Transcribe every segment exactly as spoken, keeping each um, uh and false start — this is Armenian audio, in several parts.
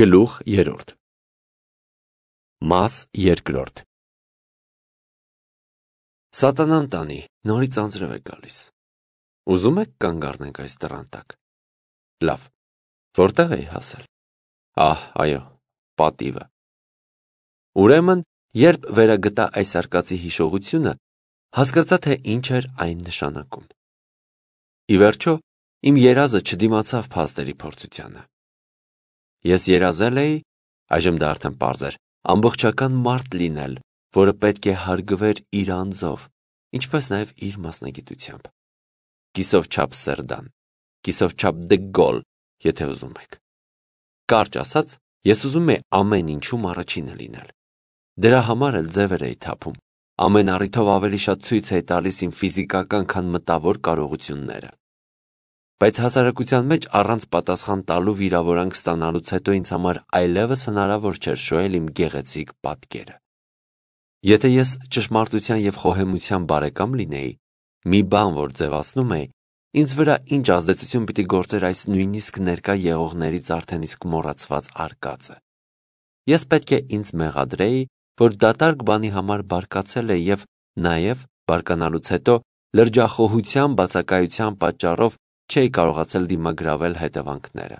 Գլուխ երրորդ Մաս երկրորդ Սատանան տանի, նորից անձրև է գալիս։ Ուզում եք կանգ առնենք այս դռան տակ։ Լավ, որտեղ էի հասել։ Ահ, այո, պատիվը։ Ուրեմն, երբ վերագտա այս արկածի հիշողությունը, հասկացա, թե ինչ էր այն նշանակում։ Ի վերջո, իմ երազը չդիմացավ փաստերի փորձությանը։ Ես երազել էի, այժմ դա արդեն պարզ էր, ամբողջական մարդ լինել, որը պետք է հարգվեր իր անձով, ինչպես նաև իր մասնագիտությամբ։ Կիսով չափ Սերդան, կիսով չափ Դե Գոլ, եթե ուզում եք։ Կարճ ասած, ես ուզում եի ամեն ինչում առաջինը լինել։ Դրա համար էլ ձևեր էի թափում, ամեն առիթով ավելի շատ ցույց էի տալիս իմ ֆիզիկական, քան մտավոր կարողությունները։ Բայց հասարակության մեջ առանց պատասխան տալու վիրավորանք ստանալուց հետո ինձ համար այլևս հնարավոր չէր շոյել իմ գեղեցիկ պատկերը։ Եթե ես ճշմարտության և խոհեմության բարեկամ լինեի, մի բան, որ ձևացնում էի, ինձ վրա ինչ ազդեցություն պիտի գործեր այս նույնիսկ ներկա եղողներից արդեն իսկ մոռացված արկածը։ Ես պետք է ինձ մեղադրեի, որ դատարկ բանի համար բարկացել է և նաև բարկանալուց հետո լրջախոհության բացակայության պատճառով չէի կարողացել դիմագրավել հետևանքները։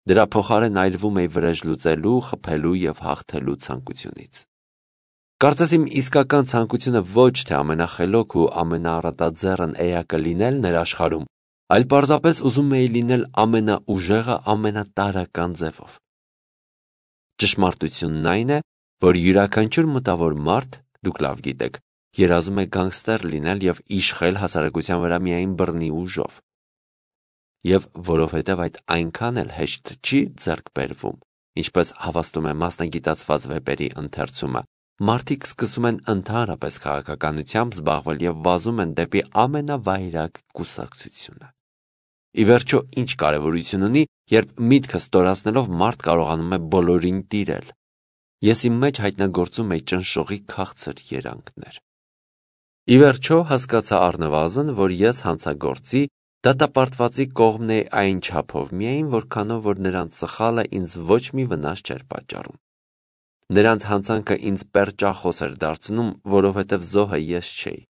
Դրա փոխարեն այրվում էի վրեժ լուծելու, խփելու և հաղթելու ցանկությունից։ Կարծես իմ իսկական ցանկությունը ոչ թե ամենախելոք ու ամենաառատաձեռն էակը լինելն էր աշխարհում, այլ պարզապես ուզում էի լինել ամենաուժեղը ամենատարրական ձևով։ Ճշմարտությունն այն է, որ յուրաքանչյուր մտավոր մարդ, դուք լավ գիտեք, երազում է գանգստեր լինել և իշխել հասարակության վրա միայն բռնի ուժով։ Եվ որովհետև այդ այնքան էլ հեշտ չի ձեռք բերվում, ինչպես հավաստում է մասնագիտացված վեպերի ընթերցումը, մարդիկ սկսում են ընդհանրապես քաղաքականությամբ զբաղվել և վազում են դեպի ամենավայրագ կուսակցությունը։ Ի վերջո, ինչ կարևորություն ունի, երբ միտքը ստորացնելով մարդ կարողանում է բոլորին տիրել։ Ես իմ մեջ հայտնագործում էի ճնշողի քաղցր երանգներ։ Ի վերջո, հասկացա առնվազն, որ ես հանցագործի դատապարտվածի կողմն էի այն չափով միայն, որքանով որ նրանց սխալը ինձ ոչ մի վնաս չէր պատճառում։ Նրանց հանցանքը ինձ պերճախոս էր դարձնում, որովհետև զոհը ես չէի։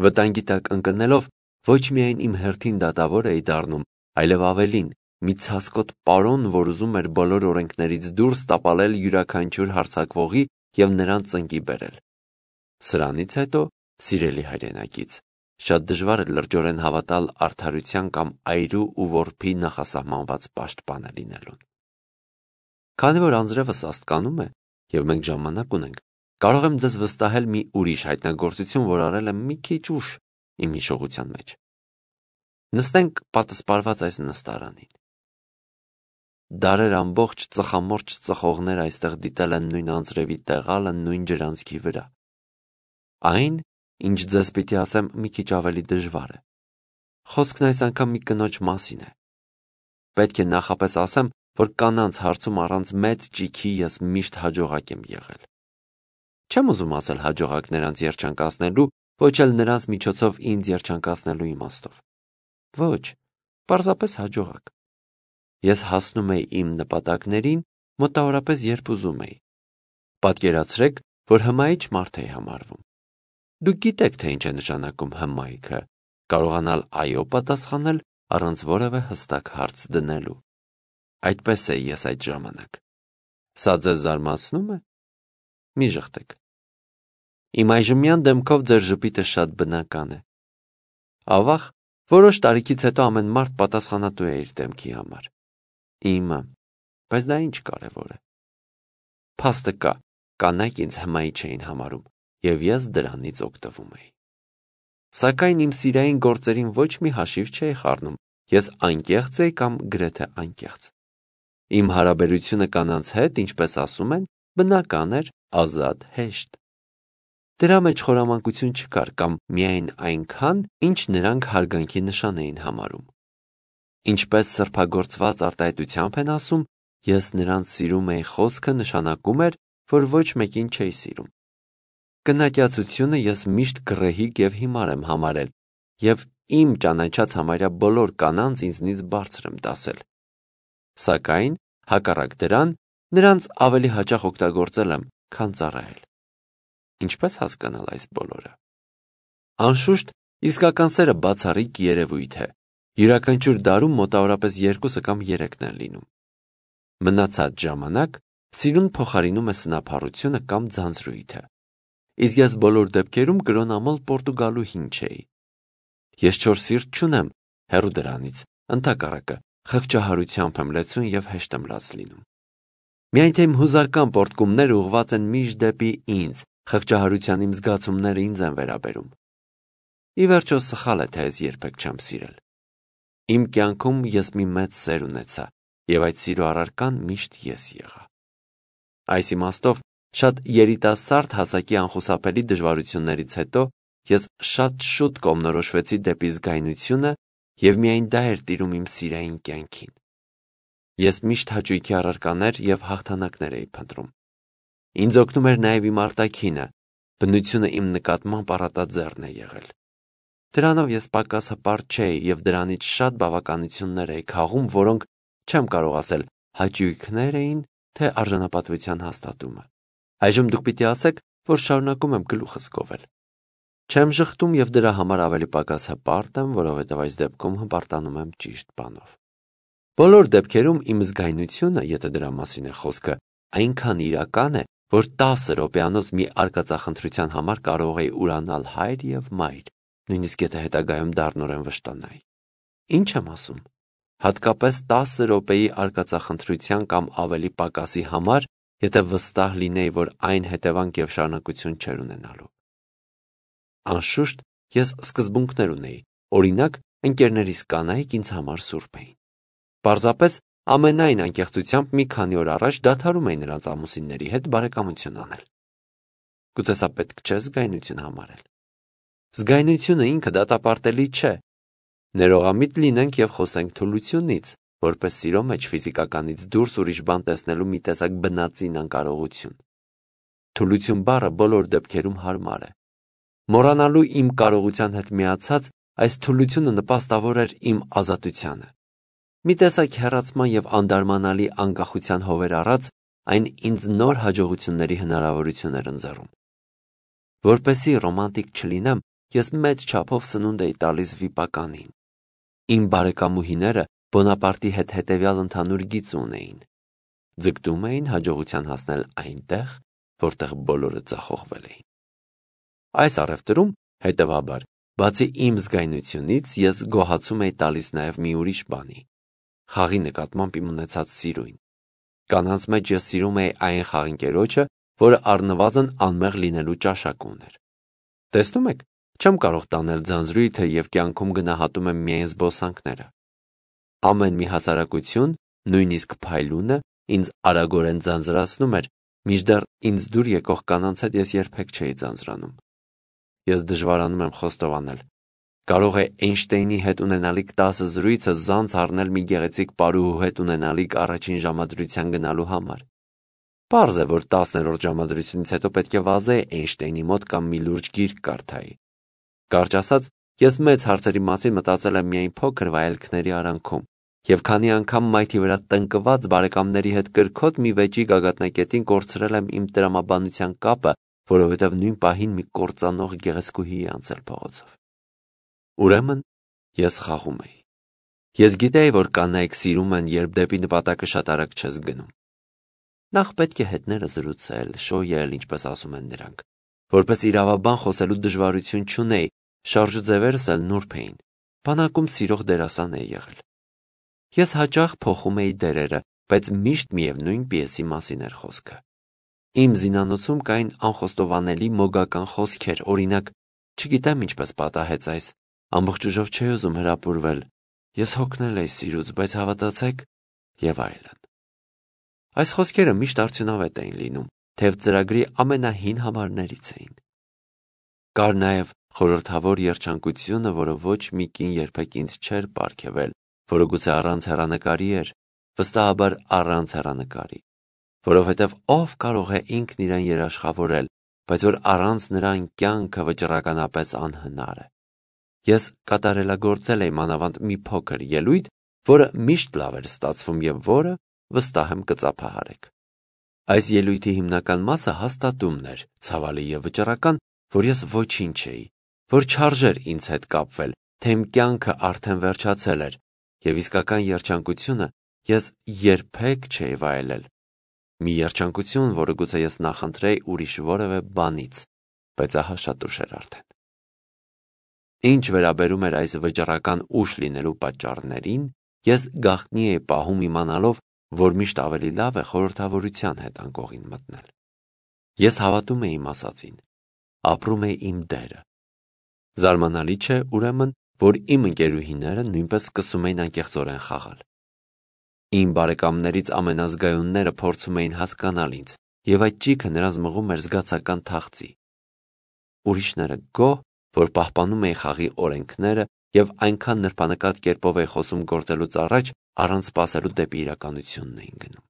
Վտանգի տակ ընկնելով ոչ միայն իմ հերթին դատավոր էի դառնում, այլև ավելին, մի ցասկոտ պարոն, որ ուզում էր բոլոր օրենքներից դուրս տապալել յուրաքանչյուր հարձակվողի և նրան ծնկի բերել։ Սրանից հետո, սիրելի հայրենակից, շատ դժվար է լրջորեն հավատալ արդարության կամ այրու ու որբի նախասահմանված պաշտպանը լինելուն։ Քանի որ անձրևը սաստկանում է, և մենք ժամանակ ունենք, կարող եմ ձեզ վստահել մի ուրիշ հայտնագործություն, որ արել եմ մի քիչ ուշ իմ հիշողության մեջ։ Նստենք պատսպարված այս նստարանին։ Դարեր ամբողջ ծխամորճ ծխողներ այստեղ դիտել են նույն անձրևի տեղալը նույն ջրանցքի վրա։ Այն, ինչ ձեզ պիտի ասեմ, մի քիչ ավելի դժվար է։ Խոսքն այս անգամ մի կնոջ մասին է։ Պետք է նախապես ասեմ, որ կանանց հարցում առանց մեծ ճիգի ես միշտ հաջողակ եմ եղել։ Չեմ ուզում ասել հաջողակ նրանց երջանկացնելու, ոչ էլ նրանց միջոցով ինձ երջանկացնելու իմաստով։ Ոչ, պարզապես հաջողակ։ Ես հասնում էի իմ նպատակներին մոտավորապես երբ ուզում էի։ Պատկերացրեք, որ հմայիչ մարդ էի համարվում։ Դուք գիտեք, թե ինչ է նշանակում հմայքը, կարողանալ այո պատասխանել առանց որևէ հստակ հարց դնելու։ Այդպես էի ես այդ ժամանակ։ Սա ձեզ զարմացնո՞ւմ է։ Մի ժխտեք։ Իմ այժմյան դեմքով ձեր ժպիտը շատ բնական է։ Ավաղ, որոշ տարիքից հետո ամեն մարդ պատասխանատու է իր դեմքի համար։ Իմը, բայց դա ինչ կարևոր է։ Փաստը կա, կանայք ինձ հմայիչ էին համարում, և ես դրանից օգտվում էի։ Սակայն իմ սիրային գործերին ոչ մի հաշիվ չէի խառնում, ես անկեղծ էի կամ գրեթե անկեղծ։ Իմ հարաբերությունը կանանց հետ, ինչպես ասում են, բնական էր, ազատ, հեշտ։ Դրա մեջ խորամանկություն չկար կամ միայն այնքան, ինչ նրանք հարգանքի նշան էին համարում։ Ինչպես սրբագործված արտահայտությամբ են ասում, ես նրանց սիրում էի խոսքը նշանակում էր, որ ոչ մեկին չէի սիրում։ Կնակյացությունը ես միշտ գռեհիկ և հիմար եմ համարել, և իմ ճանաչած համարյա բոլոր կանանց ինձնից բարձր եմ դասել։ Սակայն Հակառակ դրան, նրանց ավելի հաճախ օգտագործել եմ, քան ծառայել։ Ինչպես հասկանալ այս բոլորը։ Անշուշտ, իսկական սերը բացառիկ երևույթ է։ Յուրաքանչյուր դարում մոտավորապես երկուսը կամ երեքն են լինում։ Մնացած ժամանակ սիրուն փոխարինում է սնափառությունը կամ ձանձրույթը։ Իսկ ես բոլոր դեպքերում կրոնամոլ Պորտուգալուհին չէի։ Ես չոր սիրտ չունեմ, հեռու դրանից, ընդհակառակը, խղճահարությամբ եմ լեցուն եւ հեշտ եմ լաց լինում։ Միայն թե իմ հուզական պորտկումները ուղղված են միշտ դեպի ինձ, խղճահարության իմ զգացումները ինձ են վերաբերում։ Ի վերջո սխալ է, թե ես երբեք չեմ սիրել։ Իմ կյանքում ես մի մեծ սեր ունեցա, եւ այդ սիրո առարկան միշտ ես եղա։ Այս իմաստով, շատ երիտասարդ հասակի անխուսափելի դժվարություններից հետո ես շատ շուտ կողմնորոշվեցի դեպի զգայունությունը եւ միայն դա էր տիրում իմ սիրային կյանքին։ Ես միշտ հաճույքի առարկաներ եւ հաղթանակներ էի փնտրում։ Ինձ օգնում էր նաեւ իմ արտաքինը, բնությունը իմ նկատմամբ առատաձեռն է եղել։ Դրանով ես պակաս հպարտ չէի եւ դրանից շատ բավականություններ էի քաղում, որոնք չեմ կարող ասել հաճույքներ էին, թե արժանապատվության հաստատումը։ Այժմ դուք պիտի ասեք, որ շարունակում եմ գլուխս գովել։ Չեմ ժխտում եւ դրա համար ավելի պակաս հպարտ եմ, որովհետեւ այս դեպքում հպարտանում եմ ճիշտ բանով։ Բոլոր դեպքերում իմ զգայունությունը, եթե դրա մասին է խոսքը, այնքան իրական է, որ տասը րոպեանոց մի արկածախնդրության համար կարող էի ուրանալ հայր եւ մայր, նույնիսկ եթե հետագայում դառնորեն վշտանայի։ Ինչ եմ ասում։ Հատկապես տասը րոպեի արկածախնդրության կամ ավելի պակասի համար, եթե վստահ լինեի, որ այն հետևանք եւ շարունակություն չէր ունենալու։ Անշուշտ, ես սկզբունքներ ունեի, օրինակ, ընկերներիս կանայք ինձ համար սուրբ էին։ Պարզապես ամենայն անկեղծությամբ մի քանի օր առաջ դադարում էի նրանց ամուսինների հետ բարեկամություն անել։ Գուցե սա պետք չէ զգայունություն համարել։ Զգայունությունը ինքը դատապարտելի չէ։ Ներողամիտ լինենք եւ խոսենք թուլությունից, որպես սիրո մեջ ֆիզիկականից դուրս ուրիշ բան տեսնելու մի տեսակ բնածին անկարողություն։ Թուլություն բառը բոլոր դեպքերում հարմար է։ Մոռանալու իմ կարողության հետ միացած այս թուլությունը նպաստավոր էր իմ ազատությանը։ Մի տեսակ հեռացման եւ անդարմանալի անկախության հովեր առած, այն ինձ նոր հաջողությունների հնարավորություն էր ընձեռում։ Որպեսզի ռոմանտիկ չլինեմ, ես մեծ չափով սնունդ էի տալիս վիպականին։ Իմ բարեկամուհիները Բոնապարտի հետ հետևյալ ընդհանուր գիծ ունեին. ձգտում էին հաջողության հասնել այնտեղ, որտեղ բոլորը ձախողվել էին։ Այս առևտրում, հետևաբար, բացի իմ զգայունությունից, ես գոհացում էի տալիս նաև մի ուրիշ բանի՝ խաղի նկատմամբ իմ ունեցած սիրույն։ Կանանց մեջ ես սիրում էի այն խաղընկերոջը, որը առնվազն անմեղ լինելու ճաշակ ուներ։ Տեսնում եք, չեմ կարող տանել ձանձրույթը եւ կյանքում գնահատում եմ միայն զբոսանքները։ Ամեն մի հասարակություն, նույնիսկ փայլունը, ինձ արագորեն ձանձրացնում էր, մինչդեռ ինձ դուր եկող կանանց հետ ես երբեք չէի ձանձրանում։ Ես դժվարանում եմ խոստովանել։ Կարող է Էյնշտեյնի հետ ունենալիք տասը զրույցը զանց առնել մի գեղեցիկ պարուհու հետ ունենալիք առաջին ժամադրության գնալու համար։ Պարզ է, որ տասներորդ ժամադրությունից հետո պետք է վազեի Էյնշտեյնի մոտ կամ մի լուրջ գիրք կարդայի։ Կարճ ասած, ես մեծ հարցերի մասին մտածել եմ միայն փոքր վայելքների արանքում, եւ քանի անգամ մայթի վրա տնկված բարեկամների հետ կրքոտ մի վեճի գագաթնակետին կորցրել եմ իմ տրամաբանության կապը, որովհետև նույն պահին մի կործանող գեղեցկուհի անցել փողոցով։ Ուրեմն ես խաղում էի։ Ես գիտեի, որ կանայք սիրում են, երբ դեպի նպատակը շատ արագ չես գնում։ Նախ պետք է հետները զրուցել, շոյել, ինչպես ասում են նրանք, որպես իրավաբան խոսելու դժվարություն չունեի, շարժուձևերս էլ նուրբ էին, բանակում սիրող դերասան էի եղել։ Ես հաճախ փոխում էի դերերը, բայց միշտ միևնույն պիեսի մասին էր խոսքը։ Իմ զինանոցում կային անխոստովանելի մոգական խոսքեր, օրինակ, չգիտեմ ինչպես պատահեց այս, ամբողջ ուժով չէի ուզում հրապուրվել, ես հոգնել էի սիրուց, բայց հավատացեք, եւ այլն։ Այս խոսքերը միշտ արդյունավետ էին լինում, թեև ծրագրի ամենահին համարներից էին։ Կար նաև խորհրդավոր երջանկությունը, որը ոչ մի կին երբեք ինձ չէր պարգևել, որը գուցե առանց հեռանկարի էր, վստահաբար առանց հեռանկարի, որովհետև ով կարող է ինքն իրեն երաշխավորել, բայց որ առանց նրան կյանքը վճռականապես անհնար է։ Ես կատարելագործել էի մանավանդ մի փոքր ելույթ, որը միշտ լավ էր ստացվում եւ որը, վստահ եմ կծափահարեք։ Այս ելույթի հիմնական մասը հաստատումն էր, ցավալի եւ վճռական, որ ես ոչինչ էի, որ չարժեր ինձ հետ կապվել, թե իմ կյանքը արդեն վերջացել էր, եւ իսկական երջանկությունը ես երբեք չէի վայելել։ Մի երջանկություն, որը գուցե ես նախընտրեի ուրիշ որևէ բանից, բայց ահա շատ ուշ էր արդեն։ Ինչ վերաբերում էր այս վճռական ուշ լինելու պատճառներին, ես գաղտնի էի պահում իմանալով, որ միշտ ավելի լավ է խորհրդավորության հետ անկողին մտնել։ Ես հավատում էի իմ ասածին, ապրում էի իմ դերը։ Զարմանալի չէ, ուրեմն, որ իմ ընկերուհիները նույնպես սկսում էին անկեղծորեն խաղալ։ Իմ բարեկամներից ամենազգայունները փորձում էին հասկանալ ինձ, եւ այդ ճիգը նրանց մղում էր զգացական թախծի։ Ուրիշները գոհ, որ պահպանում էի խաղի օրենքները եւ այնքան նրբանկատ կերպով էի խոսում գործելուց առաջ, առանց սպասելու դեպի իրականությունն էին գնում։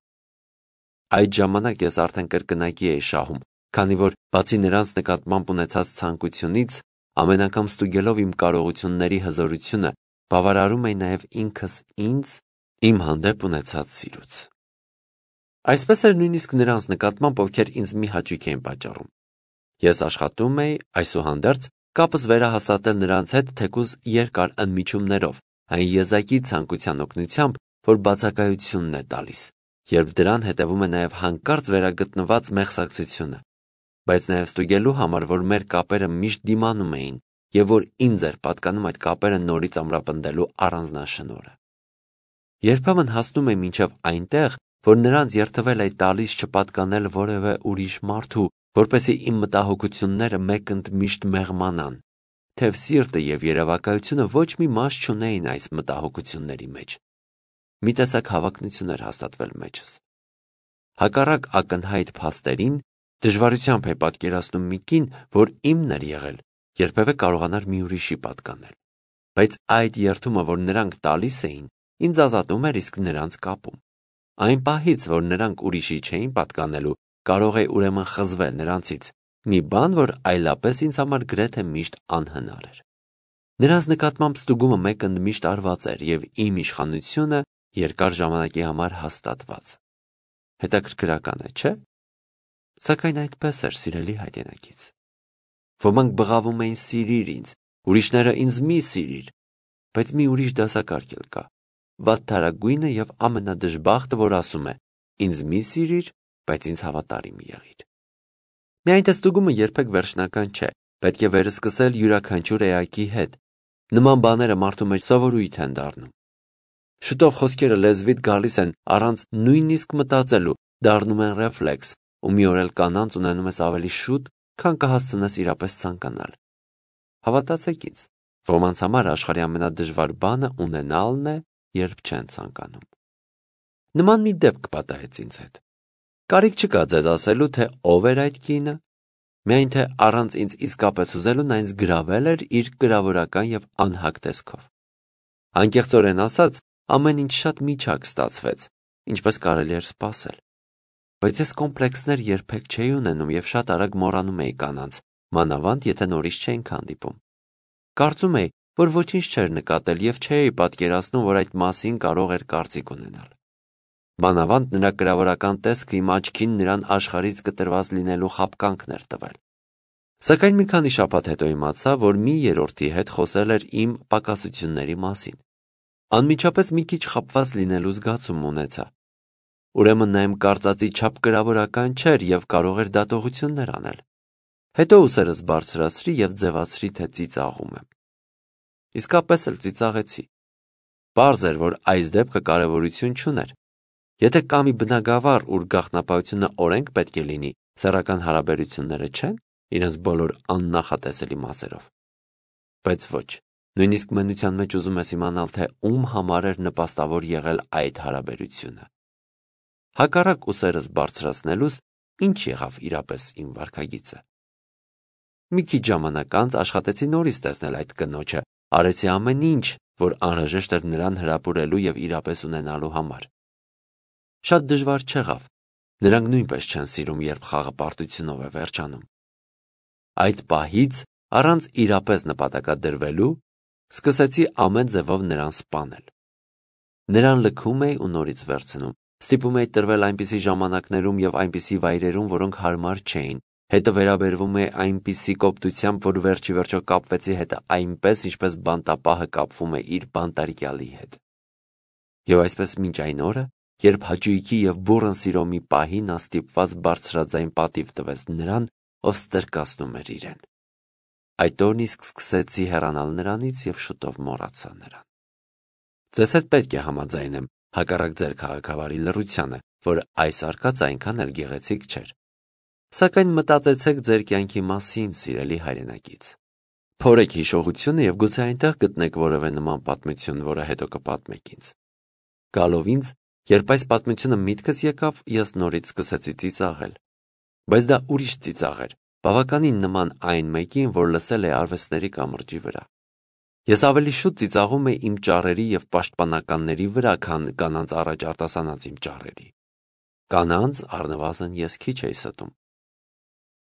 Այդ ժամանակ ես արդեն կրկնակի էի շահում, քանի որ բացի նրանց նկատմամբ ունեցած ցանկությունից, ամեն անգամ ստուգելով իմ կարողությունների հզորությունը, բավարարում էի նաև ինքս ինձ իմ հանդեպ ունեցած սիրուց։ Այսպես էր նույնիսկ նրանց նկատմամբ, ովքեր ինձ մի հաճույք էին պատճառում։ Ես աշխատում էի այսուհանդերձ կապս վերահաստատել նրանց հետ թեկուզ երկար ընդմիջումներով, այն եզակի ցանկության օգնությամբ, որ բացակայությունն է տալիս, երբ դրան հետևում է նաև հանկարծ վերագտնված մեղսակցությունը, բայց նաև ստուգելու համար, որ մեր կապերը միշտ դիմանում էին եւ որ ինձ էր պատկանում այդ կապերը նորից ամրապնդելու առանձնաշնորհը։ Երբեմն հասնում եմ մինչև այնտեղ, որ նրանց երթվել է տալիս չպատկանել որևէ ուրիշ մարդու, որպեսզի իմ մտահոգությունները մեկընդմիշտ մեղմանան, թեև սիրտը եւ երևակայությունը ոչ մի մաս չունեին այս մտահոգությունների մեջ։ Մի տեսակ հավակնություն էր հաստատվել մեջս։ Հակառակ ակնհայտ փաստերին դժվարությամբ է պատկերացնում մի կին, որ իմն էր եղել, երբևէ կարողանար մի ուրիշի պատկանել։ Բայց այդ երթումը, որ նրանք տալիս էին, ինձ ազատում էր իսկ նրանց կապում։ Այն պահից, որ նրանք ուրիշի չէին պատկանելու, կարող է ուրեմն խզվել նրանցից, մի բան, որ այլապես ինձ համար գրեթե միշտ անհնար էր։ Նրանց նկատմամբ ստուգումը մեկընդմիշտ արված էր եւ իմ իշխանությունը երկար ժամանակի համար հաստատված։ Հետաքրքրական է, չէ՞։ Սակայն այդպես էր սիրելի հայրենակից։ Ոմանք բղավում էին սիրիր ինձ, ուրիշները ինձ մի սիրիր, բայց մի ուրիշ դասակարգ էլ կա։ Վատթարագույնը եւ ամենադժբախտը, որ ասում է. ինձ մի սիրիր, բայց ինձ հավատարիմ եղիր։ Միայն թե ստուգումը երբեք վերջնական չէ, պետք է վերսկսել յուրաքանչյուր էակի հետ։ Նման բաները մարդու մեջ սովորույթ են դառնում։ Շուտով խոսքերը լեզվիդ գալիս են առանց նույնիսկ մտածելու, դառնում են ռեֆլեքս, ու մի օր էլ կանանց ունենում ես ավելի շուտ, քան կհասցնես իրապես ցանկանալ։ Հավատացեք ինձ, ոմանց համար աշխարհի ամենադժվար բանը ունենալն է, երբ չեն ցանկանում։ Նման մի դեպք պատահեց ինձ հետ։ Կարիք չկա ձեզ ասելու, թե ով էր այդ կինը, միայն թե առանց ինձ իսկապես ուզելու նա ինձ գրավել էր իր գրավորական եւ անհակ տեսքով։ Անկեղծորեն ասած, ամեն ինչ շատ միջակ ստացվեց, ինչպես կարելի էր սպասել։ Բայց ես կոմպլեքսներ երբեք չէի ունենում եւ շատ արագ մոռանում էի կանանց, մանավանդ եթե նորից չէինք հանդիպում։ Կարծում էի, որ ոչինչ չէր նկատել եւ չէի պատկերացնում, որ այդ մասին կարող էր կարծիք ունենալ։ Մանավանդ նրա գրավորական տեսքը իմ աչքին նրան աշխարհից կտրված լինելու խաբկանքն էր տվել։ Սակայն մի քանի շաբաթ հետո իմացա, որ մի երրորդի հետ խոսել էր իմ պակասությունների մասին։ Անմիջապես մի քիչ խաբված լինելու զգացում ունեցա։ Ուրեմն նա իմ կարծածի չափ գրավորական չէր եւ կարող էր դատողություններ անել։ Հետո ուսերս բարձրացրի եւ ձևացրի, թե ծիծաղում եմ։ Իսկապես էլ ծիծաղեցի։ Պարզ էր, որ այս դեպքը կարևորություն չուներ։ Եթե կա մի բնագավառ, ուր գաղտնապահությունը օրենք պետք է լինի, սեռական հարաբերությունները չեն, իրենց բոլոր աննախատեսելի մասերով։ Բայց ոչ, նույնիսկ մենության մեջ ուզում ես իմանալ, թե ում համար էր նպաստավոր եղել այդ հարաբերությունը։ Հակառակ ուսերս բարձրացնելուց ինչ եղավ իրապես իմ վարքագիծը։ Մի քիչ ժամանակ անց աշխատեցի նորից տեսնել այդ կնոջը, արեցի ամեն ինչ, որ անհրաժեշտ էր նրան հրապուրելու եւ իրապես ունենալու համար։ Շատ դժվար չեղավ։ Նրանք նույնպես չեն սիրում, երբ խաղը պարտությունով է վերջանում։ Այդ պահից, առանց իրապես նպատակադրվելու, սկսեցի ամեն ձևով նրան սպանել։ Նրան լքում էի ու նորից վերցնում, Ստիպում էի տրվել այնպիսի ժամանակներում և այնպիսի վայրերում, որոնք հարմար չէին, հետը վերաբերվում է այնպիսի կոպտությամբ, որ վերջի վերջո կապվեցի հետը այնպես, ինչպես բանտապահը կապվում է իր բանտարկյալի հետ։ Եվ այսպես մինչ այն օրը, երբ հաճույքի և բուռն սիրո մի պահի նա ստիպված բարձրաձայն պատիվ տվեց նրան, ով ստրկացնում էր իրեն։ Այդ օրն իսկ սկսեցի հեռանալ նրանից և շուտով մոռացա նրան։ Ձեզ հետ պետք է համաձայնեմ, հակառակ ձեր քաղաքավարի լռությանը, որ այս արկածը այնքան էլ գեղեցիկ չէր։ Սակայն մտածեցեք ձեր կյանքի մասին, սիրելի հայրենակից։ Փորեք հիշողությունը և գուցե այնտեղ գտնեք որևէ նման պատմություն, որը հետո կպատմեք ինձ։ Գալով ինձ, երբ այս պատմությունը միտքս եկավ, ես նորից սկսեցի ծիծաղել։ Բայց դա ուրիշ ծիծաղ էր, բավականին նման այն մեկին, որ լսել է արվեստների կամրջի վրա։ Ես ավելի շուտ ծիծաղում էի իմ ճառերի և պաշտպանականների վրա, քան կանանց առաջ արտասանած իմ ճառերի։ Կանանց առնվազն ես քիչ էի ստում։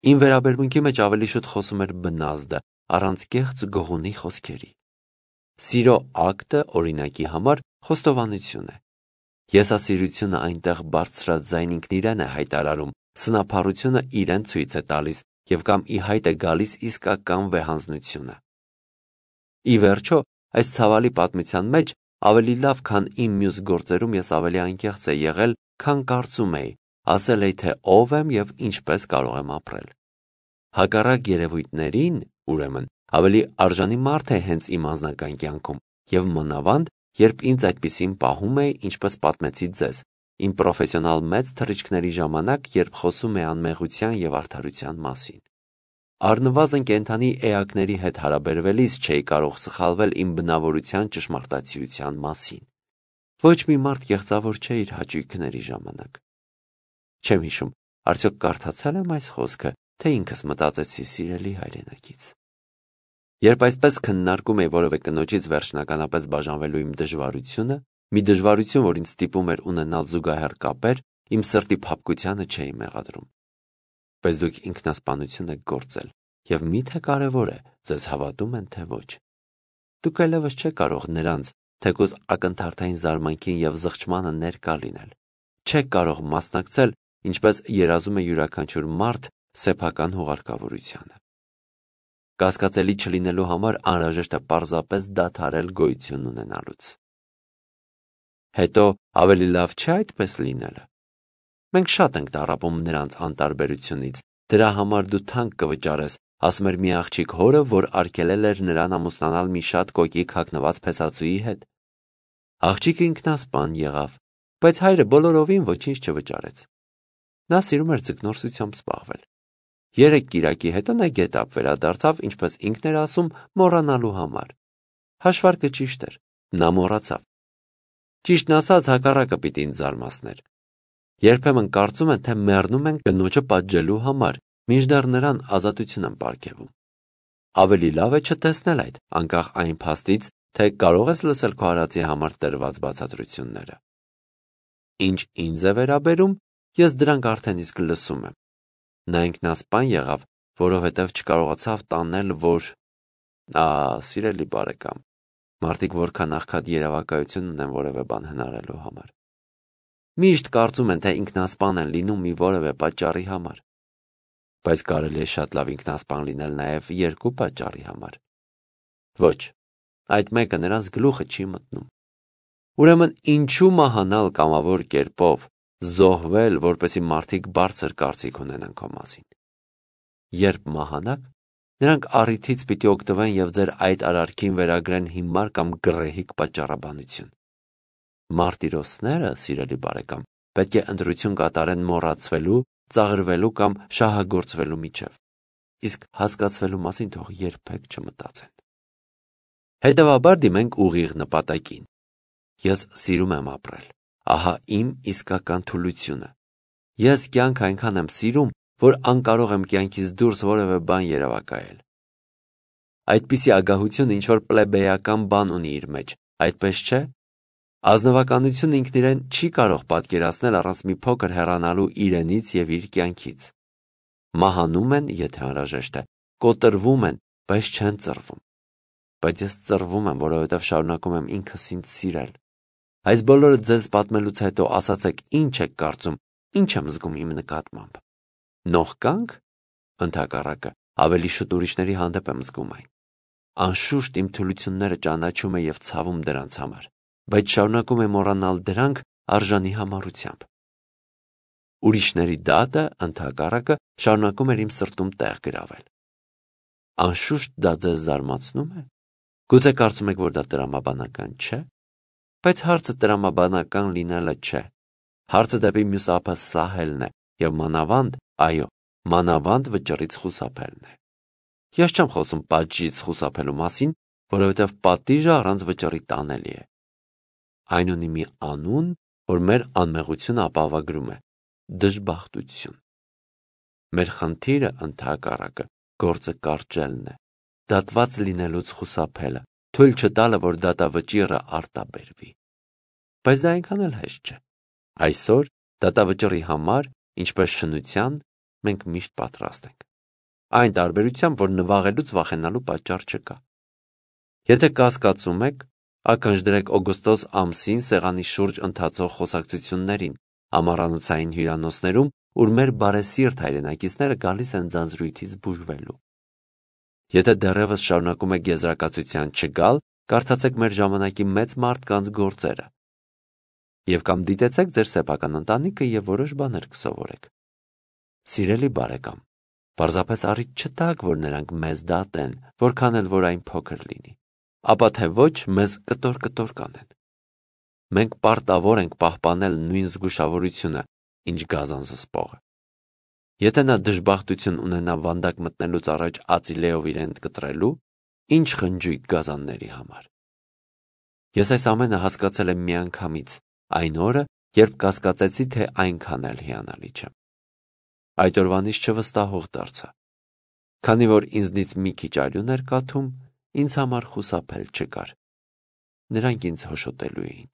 Իմ վերաբերմունքի մեջ ավելի շուտ խոսում էր բնազդը, առանց կեղծ գողունի խոսքերի։ Սիրո ակտը, օրինակի համար, խոստովանություն է։ Եսասիրությունը այնտեղ բարձրաձայն ինքն իրեն է հայտարարում, սնափառությունը իրեն ցույց է տալիս և կամ ի հայտ է գալիս իսկական վեհանձնությունը։ Ի վերջո, այս ցավալի պատմության մեջ ավելի լավ, քան իմ մյուս գործերում ես ավելի անկեղծ էի եղել, քան կարծում էի, ասել էի, թե ով եմ և ինչպես կարող եմ ապրել։ Հակառակ երևույթներին, ուրեմն, ավելի արժանի մարդ է հենց իմ անձնական կյանքում և մանավանդ, երբ ինձ այդպիսին պահում էի, ինչպես պատմեցի ձեզ, իմ պրոֆեսիոնալ մեծ թռիչքների ժամանակ, երբ խոսում է անմեղության և արդարության մասին։ Առնվազն կենդանի էակների հետ հարաբերվելիս չէի կարող սխալվել իմ բնավորության ճշմարտացիության մասին։ Ոչ մի մարդ կեղծավոր չէ իր հաճույքների ժամանակ։ Չեմ հիշում, արդյոք կարդացել եմ այս խոսքը, թե ինքս մտածեցի, սիրելի հայրենակից։ Երբ այսպես քննարկում էի որևէ կնոջից վերջնականապես բաժանվելու իմ դժվարությունը, մի դժվարություն, որ ինձ ստիպում էր ունենալ զուգահեռ կապեր, իմ սրտի փափկությանը չէի մեղադրում։ Բայց դուք ինքնասպանություն եք գործել, և մի՞թե կարևոր է, ձեզ հավատում են, թե ոչ։ Դուք այլևս չեք կարող նրանց, թեկուզ ակնթարթային զարմանքին և զղջմանը ներկա լինել։ Չեք կարող մասնակցել, ինչպես երազում է յուրաքանչյուր մարդ, սեփական հուղարկավորությանը։ Կասկածելի չլինելու համար անհրաժեշտ է պարզապես դադարել գոյություն ունենալուց։ Հետո ավելի լավ չէ այդպես լինելը։ Մենք շատ ենք տառապում նրանց անտարբերությունից, դրա համար դու թանկ կվճարես, ասում էր մի աղջիկ հորը, որ արգելել էր նրան ամուսնանալ մի շատ կոկիկ հագնված փեսածուի հետ։ Աղջիկը ինքնասպան եղավ, բայց հայրը բոլորովին ոչինչ չվճարեց։ Նա սիրում էր ձկնորսությամբ զբաղվել։ Երեք կիրակի հետո նա գետափ վերադարձավ, ինչպես ինքն էր ասում, մոռանալու համար։ Հաշվարկը ճիշտ էր, նա մոռացավ։ Ճիշտն ասած, հակառակը պիտի ինձ զարմացներ։ Երբեմն կարծում են, թե մեռնում են կնոջը պատժելու համար, մինչդեռ նրան ազատություն են պարգևում։ Ավելի լավ է չտեսնել այդ, անկախ այն փաստից, թե կարող ես լսել քո արածի համար տրված բացատրությունները։ Ինչ ինձ է վերաբերում, ես դրանք արդեն իսկ լսում եմ։ Նա ինքնասպան եղավ, որովհետև չկարողացավ տանել, որ… Ա, սիրելի բարեկամ, մարդիկ որքան աղքատ երևակայություն ունեն որևէ բան հնարելու համար։ Միշտ կարծում են, թե ինքնասպան են լինում մի որևէ պատճառի համար։ Բայց կարելի է շատ լավ ինքնասպան լինել նաև երկու պատճառի համար։ Ոչ, այդ մեկը նրանց գլուխը չի մտնում։ Ուրեմն ինչու մահանալ կամավոր կերպով, զոհվել, որպեսզի մարդիկ բարձր կարծիք ունենան քո մասին։ Երբ մահանաք, նրանք առիթից պիտի օգտվեն և ձեր այդ արարքին վերագրեն հիմար կամ գռեհիկ պատճառաբանություն։ Մարտիրոսները, սիրելի բարեկամ, պետք է ընտրություն կատարեն մոռացվելու, ծաղրվելու կամ շահագործվելու միջև, իսկ հասկացվելու մասին թող երբեք չմտածեն։ Հետևաբար դիմենք ուղիղ նպատակին։ Ես սիրում եմ ապրել, ահա իմ իսկական թուլությունը։ Ես կյանք այնքան եմ սիրում, որ անկարող եմ կյանքից դուրս որևէ բան երևակայել։ Այդպիսի ագահությունը ինչ-որ պլեբեյական բան ունի իր մեջ, այդպես չէ։ Ազնվականությունը ինքն իրեն չի կարող պատկերացնել առանց մի փոքր հեռանալու իրենից և իր կյանքից։ Մահանում են, եթե անհրաժեշտ է, կոտրվում են, բայց չեն ծռվում։ Բայց ես ծռվում եմ, որովհետև շարունակում եմ ինքս ինձ սիրել։ Այս բոլորը ձեզ պատմելուց հետո ասացեք ինչ եք կարծում, ինչ եմ զգում իմ նկատմամբ։ Նողկանք, ընդհակառակը, ավելի շուտ ուրիշների հանդեպ եմ զգում այն։ Անշուշտ իմ թուլությունները ճանաչում է և ցավում դրանց համար, բայց շարունակում է մոռանալ դրանք արժանի համառությամբ։ Ուրիշների դատը, ընդհակառակը, շարունակում էր իմ սրտում տեղ գրավել։ Անշուշտ դա ձեզ զարմացնում է։ Գուցե կարծում եք, որ դա տրամաբանական չէ, բայց հարցը տրամաբանական լինելը չէ։ Հարցը դեպի մյուս ափը սահելն է և մանավանդ, այո, մանավանդ վճռից խուսափելն է։ Ես չեմ խոսում պատժից խուսափելու մասին, որովհետև պատիժը առանց վճռի տանելի է։ Այն ունի մի անուն, որ մեր անմեղությունը ապահովագրում է՝ դժբախտություն։ Մեր խնդիրը, ընդհակառակը, գործը կարճելն է, դատված լինելուց խուսափելը, թույլ չտալը, որ դատավճիռը արտաբերվի։ Բայց դա այնքան էլ հեշտ չէ։ Այսօր դատավճռի համար, ինչպես շնության, մենք միշտ պատրաստ ենք։ Այն տարբերությամբ, որ նվաղելուց վախենալու պատճառ չկա։ Եթե կասկածում եք, ականջ դրեք օգոստոս ամսին սեղանի շուրջ ընթացող խոսակցություններին ամառանոցային հյուրանոցներում, ուր մեր բարեսիրտ հայրենակիցները գալիս են ձանձրույթից բուժվելու։ Եթե դեռևս շարունակում եք եզրակացության չգալ, կարդացեք մեր ժամանակի մեծ մարդկանց գործերը և կամ դիտեցեք ձեր սեփական ընտանիքը և որոշ բաներ կսովորեք։ Սիրելի բարեկամ, պարզապես առիթ չտաք, որ նրանք մեզ դատեն, որքան էլ որ այն փոքր լինի, ապա թե ոչ մեզ կտոր-կտոր կանեն։ Մենք պարտավոր ենք պահպանել նույն զգուշավորությունը, ինչ գազան զսպողը։ Եթե նա դժբախտություն ունենա վանդակ մտնելուց առաջ ածիլեով իրեն կտրելու, ինչ խնջույք գազանների համար։ Ես այս ամենը հասկացել եմ միանգամից, այն օրը, երբ կասկածեցի, թե այնքան էլ հիանալի չեմ։ Այդ օրվանից չվստահող դարձա։ Քանի որ ինձնից մի քիչ արյուն էր կաթում, ինձ համար խուսափել չկար։ Նրանք ինձ հոշոտելու էին։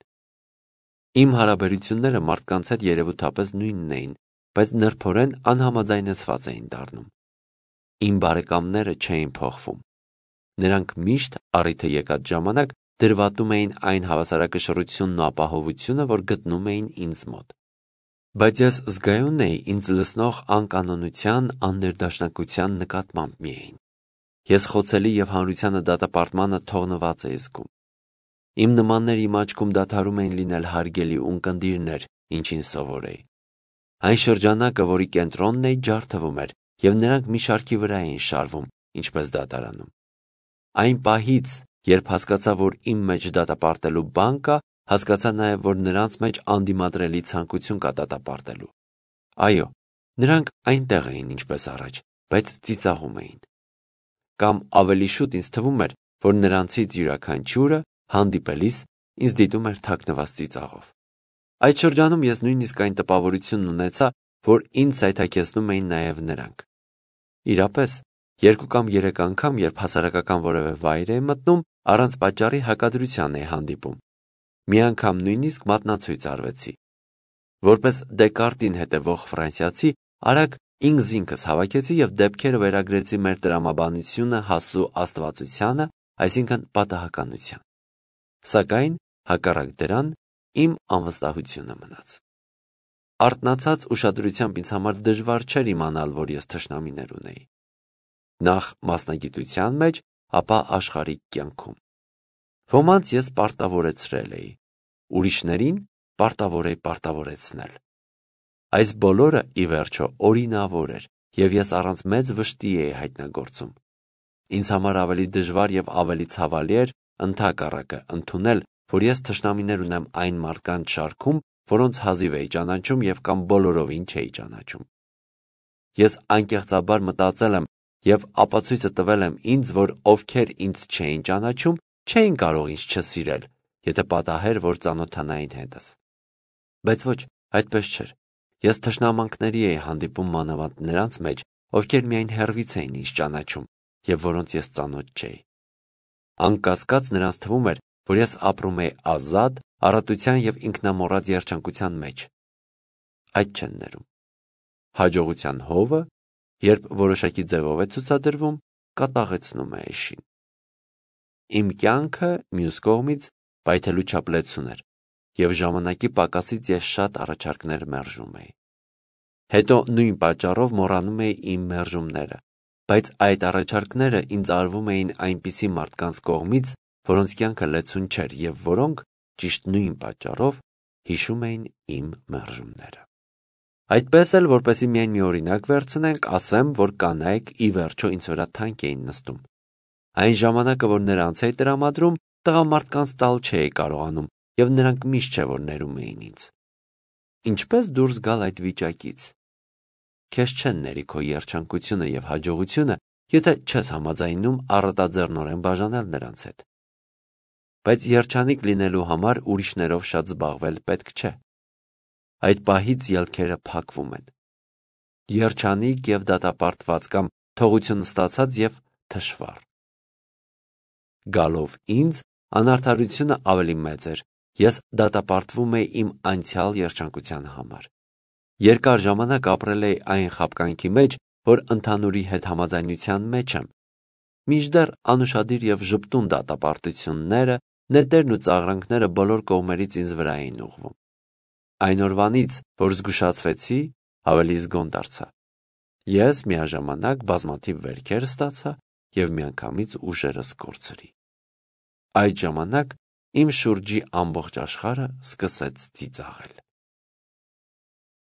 Իմ հարաբերությունները մարդկանց հետ երևութապես նույնն էին, բայց նրբորեն անհամաձայնեցված էին դառնում։ Իմ բարեկամները չէին փոխվում։ Նրանք միշտ առիթը եկած ժամանակ դրվատում էին այն հավասարակշռությունն ու ապահովությունը, որ գտնում էին ինձ մոտ։ Բայց ես զգայուն էի ինձ լցնող անկանոնության, աններդաշնակության նկատմամբ միայն։ Ես խոցելի և հանրությանը դատապարտմանը թողնված էի զգում։ Իմ նմանները իմ աչքում դադարում էին լինել հարգելի ունկնդիրներ, ինչին սովոր էի։ Այն շրջանակը, որի կենտրոնն էի, ջարդվում էր, և նրանք մի շարքի վրա էին շարվում, ինչպես դատարանում։ Այն պահից, երբ հասկացա, որ իմ մեջ դատապարտելու բան կա, հասկացա նաև, որ նրանց մեջ անդիմադրելի ցանկություն կա դատապարտելու։ Այո, նրանք այնտեղ էին ինչպես առաջ, բայց ծիծաղում էին։ Կամ ավելի շուտ ինձ թվում էր, որ նրանցից յուրաքանչյուրը հանդիպելիս ինձ դիտում էր թաքնված ծիծաղով։ Այդ շրջանում ես նույնիսկ այն տպավորությունն ունեցա, որ ինձ սայթաքեցնում էին նաև նրանք։ Իրապես, երկու կամ երեք անգամ, երբ հասարակական որևէ վայր էի մտնում, առանց պատճառի հակադրության էի հանդիպում։ Մի անգամ նույնիսկ մատնացույց արվեցի։ Որպես Դեկարտին հետևող ֆրանսիացի, արագ ինքս ինքս հավաքեցի և դեպքերը վերագրեցի մեր տրամաբանությունը հասու աստվածությանը, այսինքն պատահականության։ Սակայն, հակառակ դրան, իմ անվստահությունը մնաց։ Արթնացած ուշադրությամբ ինձ համար դժվար չէր իմանալ, որ ես թշնամիներ ունեի։ Նախ մասնագիտության մեջ, ապա աշխարհիկ կյանքում։ Ոմանց ես պարտավորեցրել էի, ուրիշներին պարտավոր էի պարտավորեցնել։ Այս բոլորը, ի վերջո, օրինավոր էր, և ես առանց մեծ վշտի էի հայտնագործում։ Ինձ համար ավելի դժվար և ավելի ցավալի էր, ընդհակառակը, ընդունել, որ ես թշնամիներ ունեմ այն մարդկանց շարքում, որոնց հազիվ էի ճանաչում և կամ բոլորովին չէի ճանաչում։ Ես անկեղծաբար մտածել եմ և ապացույցը տվել եմ ինձ, որ ովքեր ինձ չէին ճանաչում, չէին կարող ինձ չսիրել, եթե պատահեր, որ ծանոթանային հետս։ Բայց ոչ, այդպես չէր։ Ես թշնամանքների էի հանդիպում մանավանդ նրանց մեջ, ովքեր միայն հեռվից էին ինձ ճանաչում և որոնց ես ծանոթ չէի։ Անկասկած նրանց թվում էր, որ ես ապրում էի ազատ, առատության և ինքնամոռաց երջանկության մեջ։ Այդ չեն ներում։ Հաջողության հովը, երբ որոշակի ձևով է ցուցադրվում, կատաղեցնում է էշին։ Իմ կյանքը, մյուս կողմից, պայթելու չափ լեցուն էր, և ժամանակի պակասից ես շատ առաջարկներ մերժում էի։ Հետո նույն պատճառով մոռանում էի իմ մերժումները, բայց այդ առաջարկները ինձ արվում էին այնպիսի մարդկանց կողմից, որոնց կյանքը լեցուն չէր և որոնք, ճիշտ նույն պատճառով, հիշում էին իմ մերժումները։ Այդպես էլ, որպեսզի միայն մի օրինակ վերցնենք, ասեմ, որ կանայք ի վերջո ինձ վրա թանկ էին նստում։ Այն ժամանակը, որ նրանց էի տրամադրում, տղամարդկանց տալ չէի կարողանում, և նրանք միշտ չէ, որ ներում էին ինձ։ Ինչպե՞ս դուրս գալ այդ վիճակից։ Քեզ չեն ների քո երջանկությունը և հաջողությունը, եթե չես համաձայնում առատաձեռնորեն բաժանել նրանց հետ։ Բայց երջանիկ լինելու համար ուրիշներով շատ զբաղվել պետք չէ։ Այդ պահից ելքերը փակվում են։ Երջանիկ և դատապարտված կամ թողություն ստացած և թշվառ։ Գալով ինձ, անարդարությունը ավելի մեծ էր, ես դատապարտվում էի իմ անցյալ երջանկության համար։ Երկար ժամանակ ապրել էի այն խաբկանքի մեջ, որ ընդհանուրի հետ համաձայնության մեջ եմ։ Մինչդեռ անուշադիր և ժպտուն դատապարտությունները, նետերն ու ծաղրանքները բոլոր կողմերից ինձ վրա էին ուղղվում։ Այն օրվանից, որ զգուշացվեցի, ավելի զգոն դարձա։ Ես միաժամանակ բազմաթիվ վերքեր ստացա և միանգամից ուժերս կորցրի։ Այդ ժամանակ իմ շուրջի ամբողջ աշխարհը սկսեց ծիծաղել։